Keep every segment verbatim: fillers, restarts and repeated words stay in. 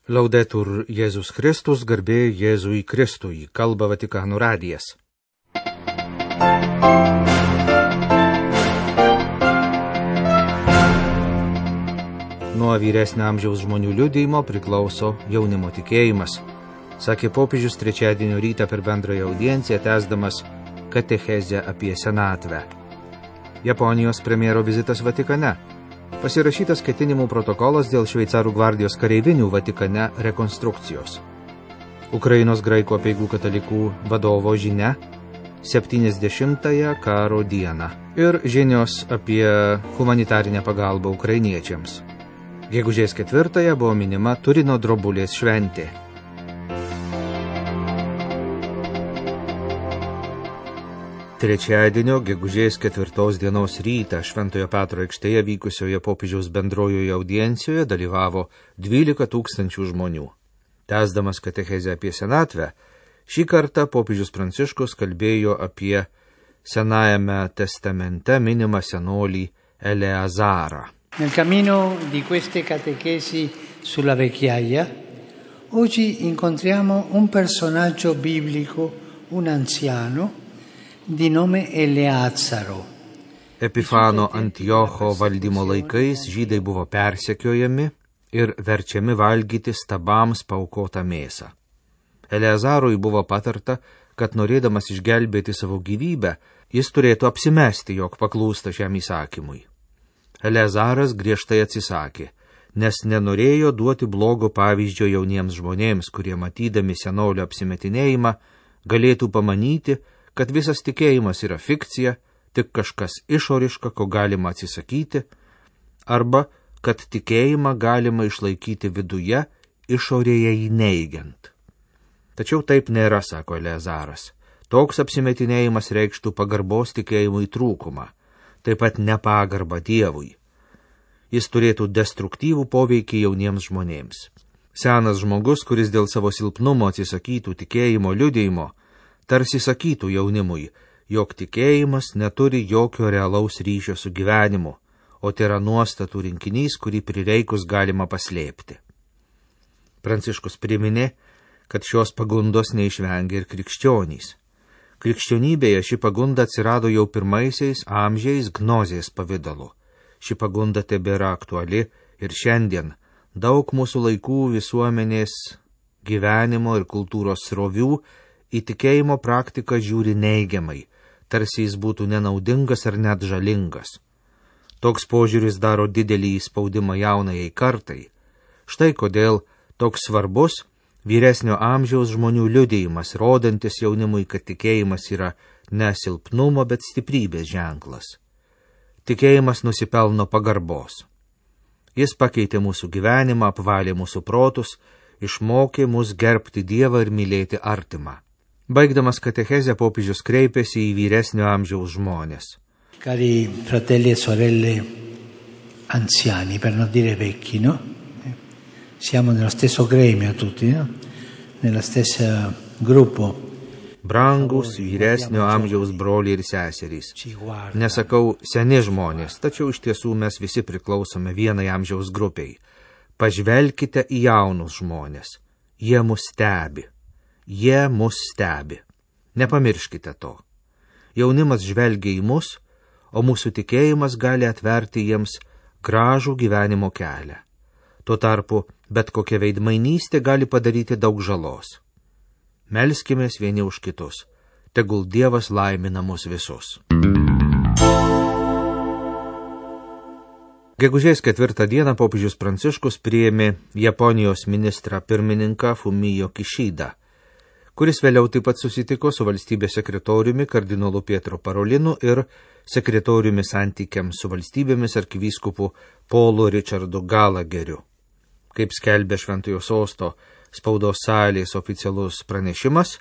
Laudetur Jėzus Kristus, garbė Jėzui Kristui, kalba Vatikano radijas. Nuo vyresnio amžiaus žmonių liudijimo priklauso jaunimo tikėjimas, sakė popiežius trečiadienio rytą per bendrąją audienciją, tęsdamas katechezę apie senatvę. Japonijos premjero vizitas Vatikane. Pasirašytas ketinimų protokolas dėl šveicarų gvardijos kareivinių Vatikane rekonstrukcijos. Ukrainos graikų apeigų katalikų vadovo žinia septyniasdešimtąją karo dieną ir žinios apie humanitarinę pagalbą ukrainiečiams. Gegužės ketvirtąją buvo minima Turino drobulės šventė. Trečiadienio gegužės ketvirtos dienos rytą Šventojo Petro aikštėje vykusioje popiežiaus bendrojoje audiencijoje dalyvavo dvylika tūkstančių žmonių. Tęsdamas katechezę apie senatvę, šį kartą popiežius Pranciškus kalbėjo apie Senajame testamente minimą senolį Eleazarą. Nel cammino di queste catechesi sulla vecchiaia, oggi incontriamo un personaggio biblico, un anziano, di nome Eleazaro. Epifano Antiocho valdymo laikais žydai buvo persekiojami ir verčiami valgyti stabams paaukotą mėsą. Eleazarui buvo patarta, kad norėdamas išgelbėti savo gyvybę, jis turėtų apsimesti, jog paklūsta šiam įsakymui. Eleazaras griežtai atsisakė, nes nenorėjo duoti blogo pavyzdžio jauniems žmonėms, kurie matydami senolio apsimetinėjimą galėtų pamanyti, kad visas tikėjimas yra fikcija, tik kažkas išoriška, ko galima atsisakyti, arba kad tikėjimą galima išlaikyti viduje, išorėje jį neigiant. Tačiau taip nėra, sako Eleazaras. Toks apsimetinėjimas reikštų pagarbos tikėjimui trūkumą, taip pat nepagarbą Dievui. Jis turėtų destruktyvų poveikį jauniems žmonėms. Senas žmogus, kuris dėl savo silpnumo atsisakytų tikėjimo liudijimo, tarsi sakytų jaunimui, jog tikėjimas neturi jokio realaus ryšio su gyvenimu, o tai yra nuostatų rinkinys, kurį prireikus galima paslėpti. Pranciškus priminė, kad šios pagundos neišvengia ir krikščionys. Krikščionybėje ši pagunda atsirado jau pirmaisiais amžiais gnozės pavidalu. Ši pagunda tebėra aktuali ir šiandien daug mūsų laikų visuomenės gyvenimo ir kultūros srovių į tikėjimo praktiką žiūri neigiamai, tarsi jis būtų nenaudingas ar net žalingas. Toks požiūris daro didelį įspaudimą jaunajai kartai. Štai kodėl toks svarbus vyresnio amžiaus žmonių liudijimas, rodantis jaunimui, kad tikėjimas yra ne silpnumo, bet stiprybės ženklas. Tikėjimas nusipelno pagarbos. Jis pakeitė mūsų gyvenimą, apvalė mūsų protus, išmokė mus gerbti Dievą ir mylėti artimą. Baigdamas katechezę, popiežius kreipėsi į vyresnio amžiaus žmonės. Cari fratelli e sorelle anziani, per non dire vecchi, no? Siamo nello stesso gremio tutti, no? Nella stessa gruppo. Brangus vyresnio amžiaus broliai ir seserys. Nesakau seni žmonės, tačiau iš tiesų mes visi priklausome vienai amžiaus grupiai. Pažvelkite į jaunus žmonės. Jie mus stebi. Jie mus stebi. Nepamirškite to. Jaunimas žvelgia į mus, o mūsų tikėjimas gali atverti jiems gražų gyvenimo kelią. Tuo tarpu bet kokia veidmainystė gali padaryti daug žalos. Melskimės vieni už kitus. Tegul Dievas laimina mus visus. Gegužės ketvirtą dieną popiežius Pranciškus priėmė Japonijos ministrą pirmininką Fumio Kishidą, kuris vėliau taip pat susitiko su valstybės sekretoriumi kardinolu Pietro Parolinu ir sekretoriumi santykiams su valstybėmis arkivyskupu Paulu Richardu Galageriu. Kaip skelbė Šventojo sosto spaudos salės oficialus pranešimas,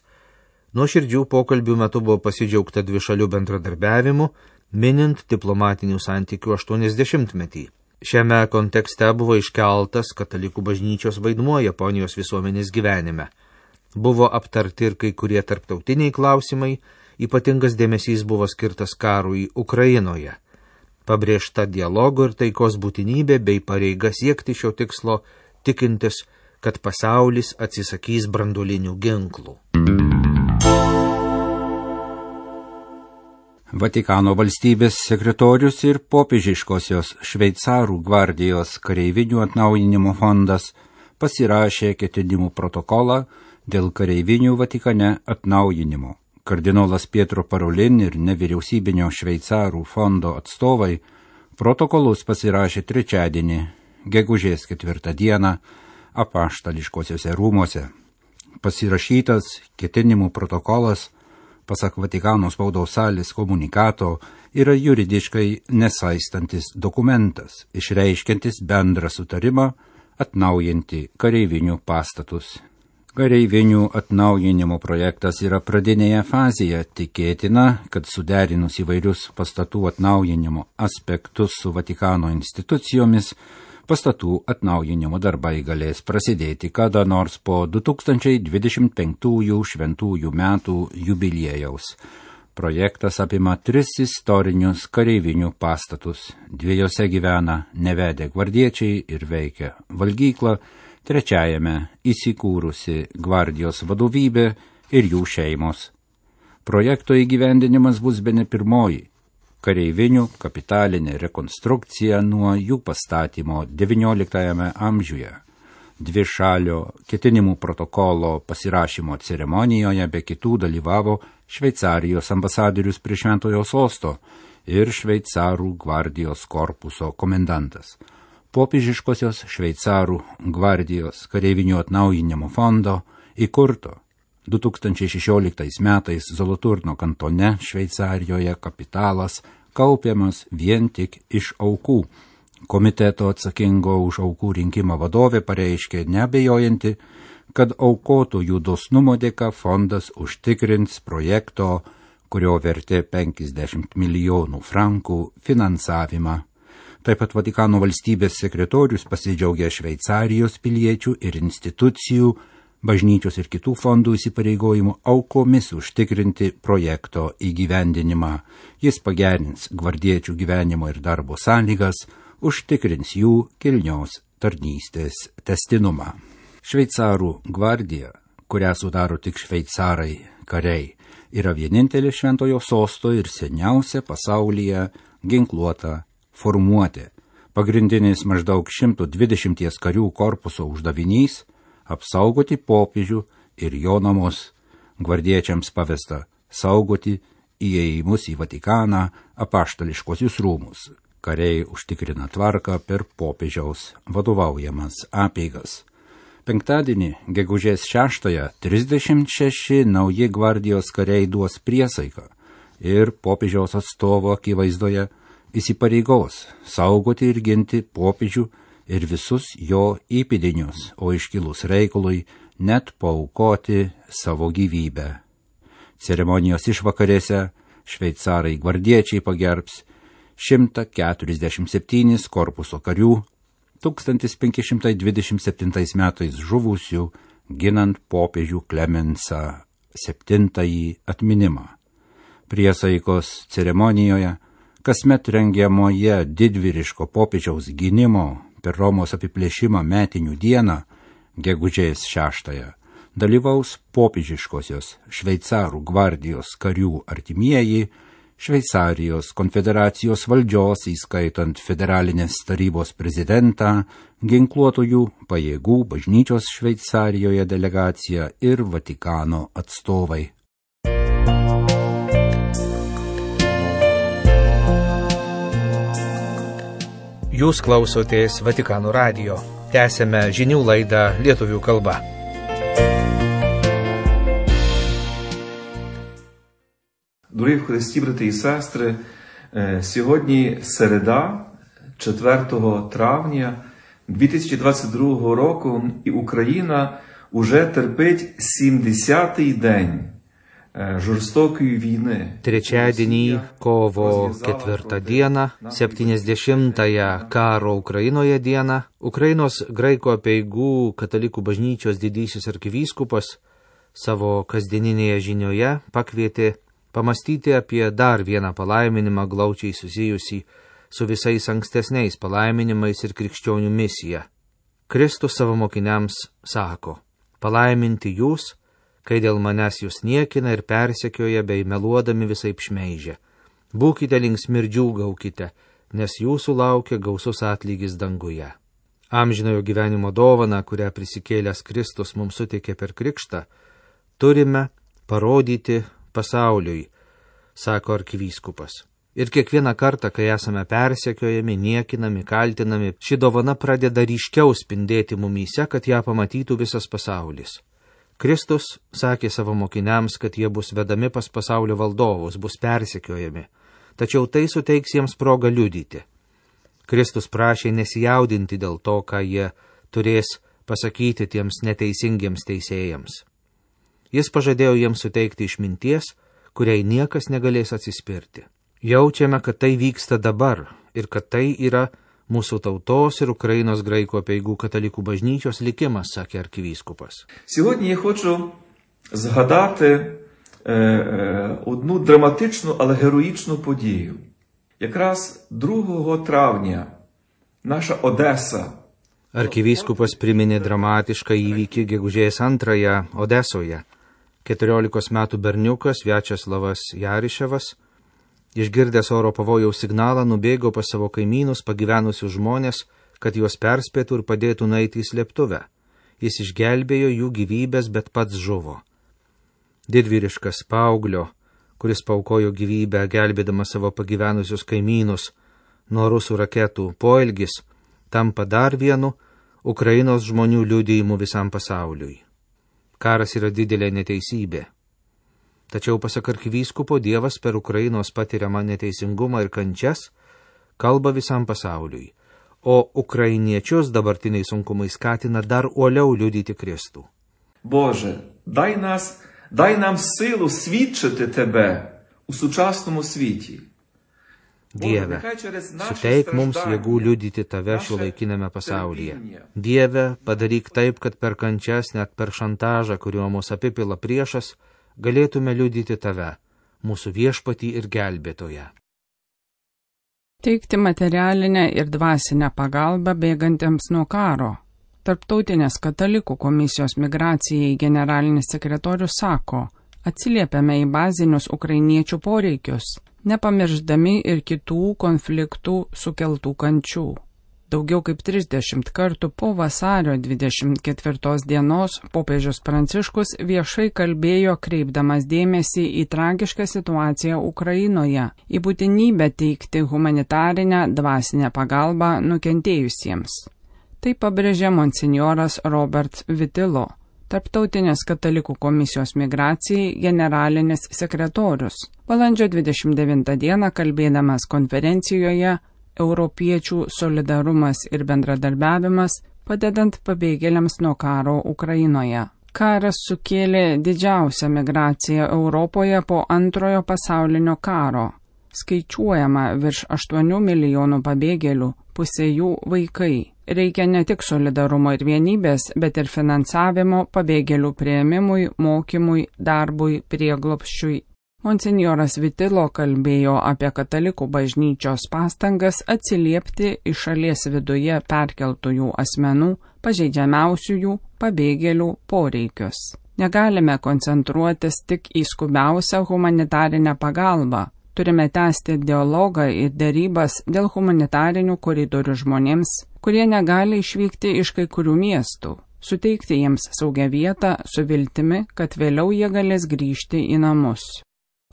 nuo širdžių pokalbių metu buvo pasidžiaugta dvišalių bendradarbiavimu, minint diplomatinių santykių aštuoniasdešimtmetį. Šiame kontekste buvo iškeltas katalikų bažnyčios vaidmuo Japonijos visuomenės gyvenime. Buvo aptarti ir kai kurie tarptautiniai klausimai, ypatingas dėmesys buvo skirtas karui Ukrainoje. Pabrėžta dialogo ir taikos būtinybė bei pareiga siekti šio tikslo, tikintis, kad pasaulis atsisakys branduolinių ginklų. Vatikano valstybės sekretorius ir popiežiškosios šveicarų gvardijos kareivinių atnaujinimo fondas pasirašė ketinimų protokolą dėl kareivinių Vatikane atnaujinimo. Kardinolas Pietro Parolin ir nevyriausybinio šveicarų fondo atstovai protokolus pasirašė trečiadienį, gegužės ketvirtą dieną, apaštališkosiuose rūmuose. Pasirašytas ketinimų protokolas, pasak Vatikano spaudos salės komunikato, yra juridiškai nesaistantis dokumentas, išreiškiantis bendrą sutarimą atnaujinti kareivinių pastatus. Kareivinių atnaujinimo projektas yra pradinėje fazėje, tikėtina, kad suderinus įvairius pastatų atnaujinimo aspektus su Vatikano institucijomis, pastatų atnaujinimo darbai galės prasidėti kada nors po du tūkstančiai dvidešimt penktųjų šventųjų metų jubiliejaus. Projektas apima tris istorinius kareivinių pastatus. Dviejose gyvena nevedę gvardiečiai ir veikia valgykla, trečiajame įsikūrusi gvardijos vadovybė ir jų šeimos. Projekto įgyvendinimas bus bene pirmoji kareivinių kapitalinė rekonstrukcija nuo jų pastatymo devynioliktajame amžiuje. Dvišalio ketinimų protokolo pasirašymo ceremonijoje be kitų dalyvavo Šveicarijos ambasadorius prie Šventojo sosto ir Šveicarų gvardijos korpuso komendantas. Popiežiškosios Šveicarų gvardijos kareivinių atnaujinimo fondo įkurto du tūkstančiai šešioliktais metais Zoloturno kantone Šveicarijoje kapitalas kaupiamas vien tik iš aukų. Komiteto atsakingo už aukų rinkimą vadovė pareiškė neabejojanti, kad aukotojų dosnumo dėka fondas užtikrins projekto, kurio vertė penkiasdešimt milijonų frankų, finansavimą. Taip pat Vatikano valstybės sekretorius pasidžiaugė Šveicarijos piliečių ir institucijų, bažnyčios ir kitų fondų įsipareigojimų aukomis užtikrinti projekto įgyvendinimą. Jis pagerins gvardiečių gyvenimo ir darbo sąlygas, užtikrins jų kilnios tarnystės testinumą. Šveicarų gvardija, kurią sudaro tik šveicarai kariai, yra vienintelė Šventojo sosto ir seniausia pasaulyje ginkluota formuotė. Pagrindinis maždaug šimto dvidešimt karių korpuso uždavinys – apsaugoti popiežių ir jo namus. Gvardiečiams pavesta saugoti įėjimus į Vatikaną, apaštališkosius rūmus. Kariai užtikrina tvarką per popiežiaus vadovaujamas apeigas. Penktadienį, gegužės šeštąją, trisdešimt šeši nauji gvardijos kariai duos priesaiką ir popiežiaus atstovo akivaizdoje įsipareigos saugoti ir ginti popiežių ir visus jo įpėdinius, o iškilus reikalui net paaukoti savo gyvybę. Ceremonijos išvakarėse šveicarai gvardiečiai pagerbs šimtą keturiasdešimt septynis korpuso karių, tūkstantis penki šimtai dvidešimt septintais metais žuvusių, ginant popiežių Klemensą septintąjį atminimą. Priesaikos ceremonijoje, kasmet rengiamoje didvyriško popiežiaus gynimo per Romos apiplėšimą metinių dieną, gegužės šeštąją, dalyvaus popiežiškosios Šveicarų gvardijos karių artimieji, Šveicarijos konfederacijos valdžios, įskaitant federalinės tarybos prezidentą, ginkluotojų pajėgų bažnyčios Šveicarijoje delegacija ir Vatikano atstovai. Jūs klausotės Vatikano radijo. Tęsėme žinių laidą lietuvių kalba. Дорогі в Христі, брати і сестри, сьогодні середа, четвертого травня дві тисячі двадцять другого року, і Україна уже терпить сімдесятий день žorstokųjų vійни. Trečiadienį, kovo ketvirtą dieną, septyniasdešimtąją karo Ukrainoje dieną, Ukrainos graikų apeigų katalikų bažnyčios didysis arkivyskupas savo kasdieninėje žinioje pakvietė pamastyti apie dar vieną palaiminimą glaučiai susijusį su visais ankstesniais palaiminimais ir krikščionių misija. Kristus savo mokiniams sako, palaiminti jūs, kai dėl manęs jūs niekina ir persekioja bei meluodami visaip šmeižia. Būkite linksmi ir džiūgaukite, nes jūsų laukia gausus atlygis danguje. Amžinojo gyvenimo dovaną, kurią prisikėlęs Kristus mums suteikė per krikštą, turime parodyti pasauliui, sako arkivyskupas. Ir kiekvieną kartą, kai esame persekiojami, niekinami, kaltinami, ši dovana pradeda ryškiau spindėti mumyse, kad ją pamatytų visas pasaulis. Kristus sakė savo mokiniams, kad jie bus vedami pas pasaulio valdovus, bus persekiojami, tačiau tai suteiks jiems progą liudyti. Kristus prašė nesijaudinti dėl to, ką jie turės pasakyti tiems neteisingiems teisėjams. Jis pažadėjo jiems suteikti išminties, kuriai niekas negalės atsispirti. Jaučiame, kad tai vyksta dabar ir kad tai yra mūsų tautos ir Ukrainos graikų apeigų katalikų bažnyčios likimas, sakė arkivyskupas. Сьогодні я хочу згадати е, е, одну драматичну, але героїчну подію. Якраз другого травня наша Одеса. Arkivyskupas priminė dramatišką įvykį gegužės antrąją Odesoje. keturiolikos metų berniukas Viačeslavas Jariševas, išgirdęs oro pavojaus signalą, nubėgo pas savo kaimynus pagyvenusius žmonės, kad juos perspėtų ir padėtų nueiti į slėptuvę. Jis išgelbėjo jų gyvybės, bet pats žuvo. Didvyriškas paauglio, kuris paaukojo gyvybę, gelbėdamas savo pagyvenusius kaimynus nuo rusų raketų poelgis, tampa dar vienu Ukrainos žmonių liudijimu visam pasauliui. Karas yra didelė neteisybė. Tačiau pasak arkivyskupo, Dievas per Ukrainos patiriamą neteisingumą ir kančias kalba visam pasauliui, o ukrainiečius dabartiniai sunkumai skatina dar uoliau liudyti Kristų. Боже, дай нас, дай нам силу свідчити Тебе у сучасному світі. Dieve, suteik mums jėgų liudyti Tave šiuolaikinėme pasaulyje. Dieve, padaryk taip, kad per kančias, net per šantažą, kuriuo mus apipila priešas, galėtume liudyti Tave, mūsų viešpatį ir gelbėtoją. Teikti materialinę ir dvasinę pagalbą bėgantiems nuo karo. Tarptautinės katalikų komisijos migracijai generalinis sekretorius sako, atsiliepiame į bazinius ukrainiečių poreikius, nepamirždami ir kitų konfliktų sukeltų kančių. Daugiau kaip trisdešimt kartų po vasario dvidešimt ketvirtos dienos popiežius Pranciškus viešai kalbėjo, kreipdamas dėmesį į tragišką situaciją Ukrainoje, į būtinybę teikti humanitarinę dvasinę pagalbą nukentėjusiems. Tai pabrėžė monsinjoras Robert Vitilo, Tarptautinės katalikų komisijos migracijai generalinis sekretorius. Balandžio dvidešimt devintą dieną kalbėdamas konferencijoje Europiečių solidarumas ir bendradarbiavimas, padedant pabėgėliams nuo karo Ukrainoje. Karas sukėlė didžiausią migraciją Europoje po antrojo pasaulinio karo. Skaičiuojama virš aštuonių milijonų pabėgėlių, pusė jų vaikai. Reikia ne tik solidarumo ir vienybės, bet ir finansavimo pabėgėlių priėmimui, mokymui, darbui, prieglobsčiui. Monsinjoras Vitilo kalbėjo apie katalikų bažnyčios pastangas atsiliepti į šalies viduje perkeltųjų asmenų, pažeidžiamiausiųjų pabėgėlių poreikius. Negalime koncentruotis tik į skubiausią humanitarinę pagalbą. Turime tęsti dialogą ir dėrybas dėl humanitarinių koridorių žmonėms, kurie negali išvykti iš kai kurių miestų, suteikti jiems saugią vietą su viltimi, kad vėliau jie galės grįžti į namus.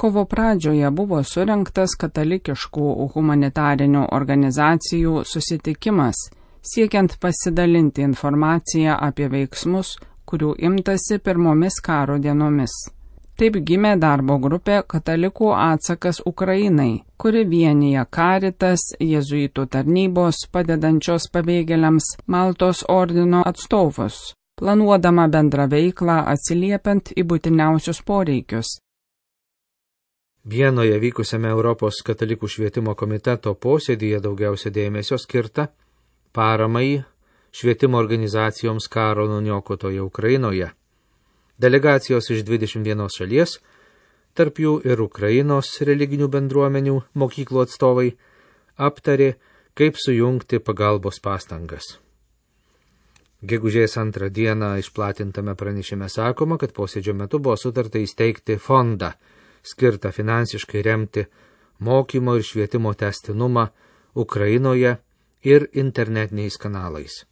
Kovo pradžioje buvo surengtas katalikiškų humanitarinių organizacijų susitikimas, siekiant pasidalinti informaciją apie veiksmus, kurių imtasi pirmomis karo dienomis. Taip gimė darbo grupė Katalikų atsakas Ukrainai, kuri vienija Caritas, jėzuitų tarnybos, padedančios pabėgėliams Maltos ordino atstovus, planuodama bendrą veiklą atsiliepiant į būtiniausius poreikius. Vienoje vykusiame Europos katalikų švietimo komiteto posėdyje daugiausia dėmesio skirta paramai švietimo organizacijoms karo nuniokotoje Ukrainoje. Delegacijos iš dvidešimt vienos šalies, tarp jų ir Ukrainos religinių bendruomenių mokyklų atstovai, aptarė, kaip sujungti pagalbos pastangas. Gegužės antrą dieną išplatintame pranešime sakoma, kad posėdžio metu buvo sutarta įsteigti fondą, skirtą finansiškai remti mokymo ir švietimo tęstinumą Ukrainoje ir internetiniais kanalais.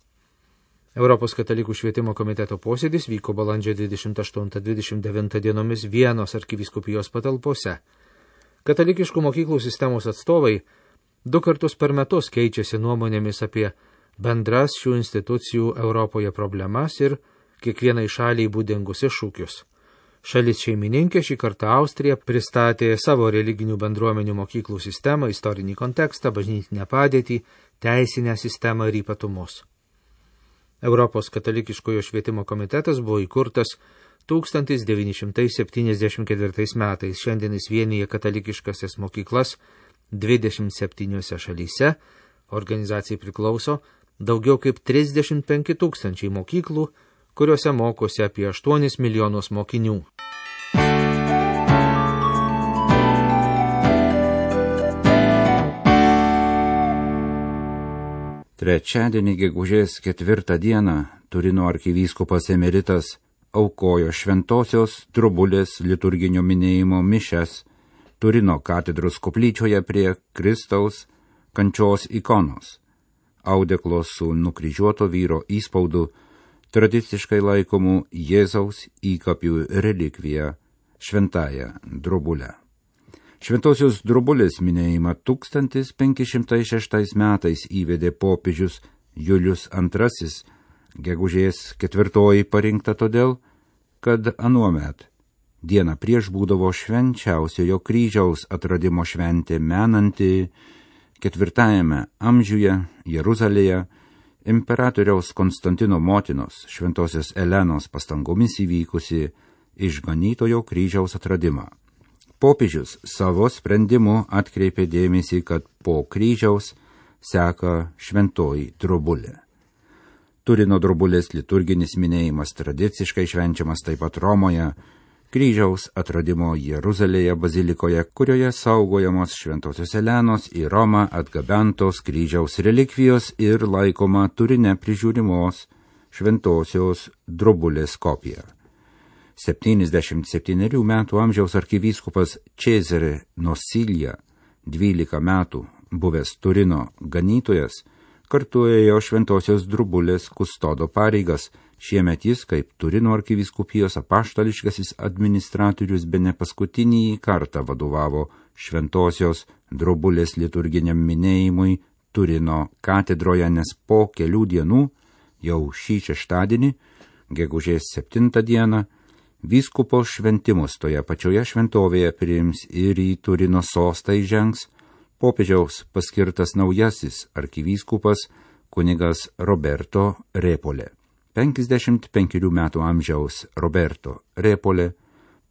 Europos katalikų švietimo komiteto posėdis vyko balandžio dvidešimt aštuntą dvidešimt devintą dienomis Vienos arkivyskupijos patalpose. Katalikiškų mokyklų sistemos atstovai du kartus per metus keičiasi nuomonėmis apie bendras šių institucijų Europoje problemas ir kiekvienai šaliai būdingus iššūkius. Šalis šeimininkė šį kartą Austrija pristatė savo religinių bendruomenių mokyklų sistemą, istorinį kontekstą, bažnytinę padėtį, teisinę sistemą ir ypatumus. Europos katalikiškojo švietimo komitetas buvo įkurtas tūkstantis devyni šimtai septyniasdešimt ketvirtais metais. Šiandien jis vienyje katalikiškasias mokyklas dvidešimt septyniose šalyse. Organizacijai priklauso daugiau kaip trisdešimt penki tūkstančiai mokyklų, kuriuose mokosi apie aštuonis milijonus mokinių. Trečiadienį gegužės ketvirtą dieną Turino arkivyskupas emeritas aukojo šventosios Drobulės liturginio minėjimo mišias Turino katedros koplyčioje prie Kristaus kančios ikonos, audeklos su nukryžiuoto vyro įspaudu, tradiciškai laikomų Jėzaus įkapių relikvija šventąją Drobulę. Šventosios Drobulės minėjimą tūkstantis penki šimtai šeštais metais įvedė popiežius Julius antrasis, gegužės ketvirtoji parinkta todėl, kad anuomet dieną prieš būdavo švenčiausiojo kryžiaus atradimo šventė menanti ketvirtajame amžiuje Jeruzalėje imperatoriaus Konstantino motinos šventosios Elenos pastangomis įvykusi išganytojo kryžiaus atradimą. Popiežius savo sprendimu atkreipė dėmesį, kad po kryžiaus seka šventoji Drobulė. Turino Drobulės liturginis minėjimas tradiciškai švenčiamas taip pat Romoje, kryžiaus atradimo Jeruzalėje bazilikoje, kurioje saugojamos šventosios Elenos į Romą atgabentos kryžiaus relikvijos ir laikoma Turine prižiūrimos šventosios Drobulės kopija. septyniasdešimt septynerių metų amžiaus arkivyskupas Cezare Nosilja, dvylika metų buvęs Turino ganytojas, kartu ėjo šventosios Drobulės kustodo pareigas. Šiemet jis, kaip Turino arkivyskupijos apaštališkasis administratorius, bene paskutinį kartą vadovavo šventosios Drobulės liturginiam minėjimui Turino katedroje, nes po kelių dienų, jau šį šeštadienį, gegužės septintą dieną, vyskupo šventimus toje pačioje šventovėje priims ir į Turino sostą įžengs popiežiaus paskirtas naujasis arkivyskupas kunigas Roberto Repolė. penkiasdešimt penkerių metų amžiaus Roberto Repolė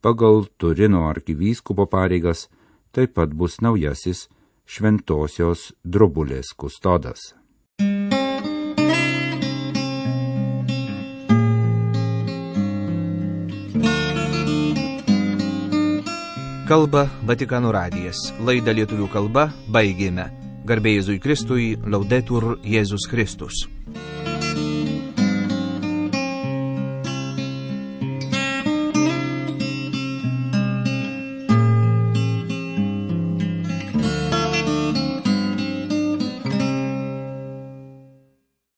pagal Turino arkivyskupo pareigas taip pat bus naujasis šventosios Drobulės kustodas. Kalba Vatikano radijas. Laidą lietuvių kalba baigėme. Garbė Jėzui Kristui, Laudetur Jėzus Kristus.